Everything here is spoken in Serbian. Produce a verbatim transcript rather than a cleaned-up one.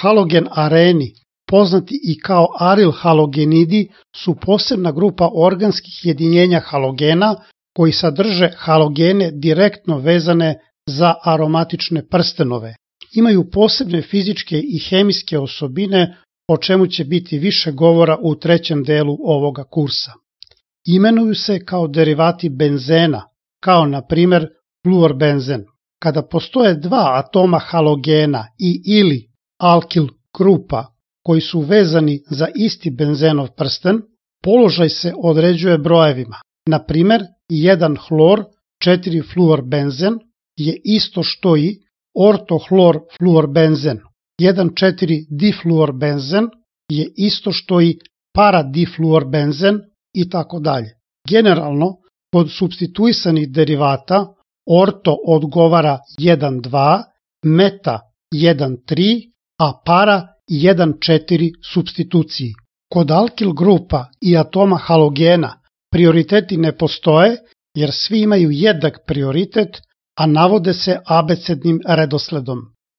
Halogen areni, poznati i kao aril halogenidi, su posebna grupa organskih jedinjenja halogena koji sadrže halogene direktno vezane za aromatične prstenove. Imaju posebne fizičke i hemijske osobine, o čemu će biti više govora u trećem delu ovoga kursa. Imenuju se kao derivati benzena, kao na primer fluorbenzen. Kada postoje dva atoma halogena i ili alkil grupa koji su vezani za isti benzenov prsten, položaj se određuje brojevima. Na primer, jedan hlor, četiri fluorbenzen je isto što i ortohlor fluorbenzen. jedan četiri difluorbenzen je isto što i paradifluorbenzen i tako dalje. Generalno, kod supstituisanih derivata orto odgovara jedan dva, meta jedan tri, a para jedan četiri supstituciji. Kod alkil grupa i atoma halogena prioriteti ne postoje jer svi imaju jednak prioritet, a navode se abecednim redosledom.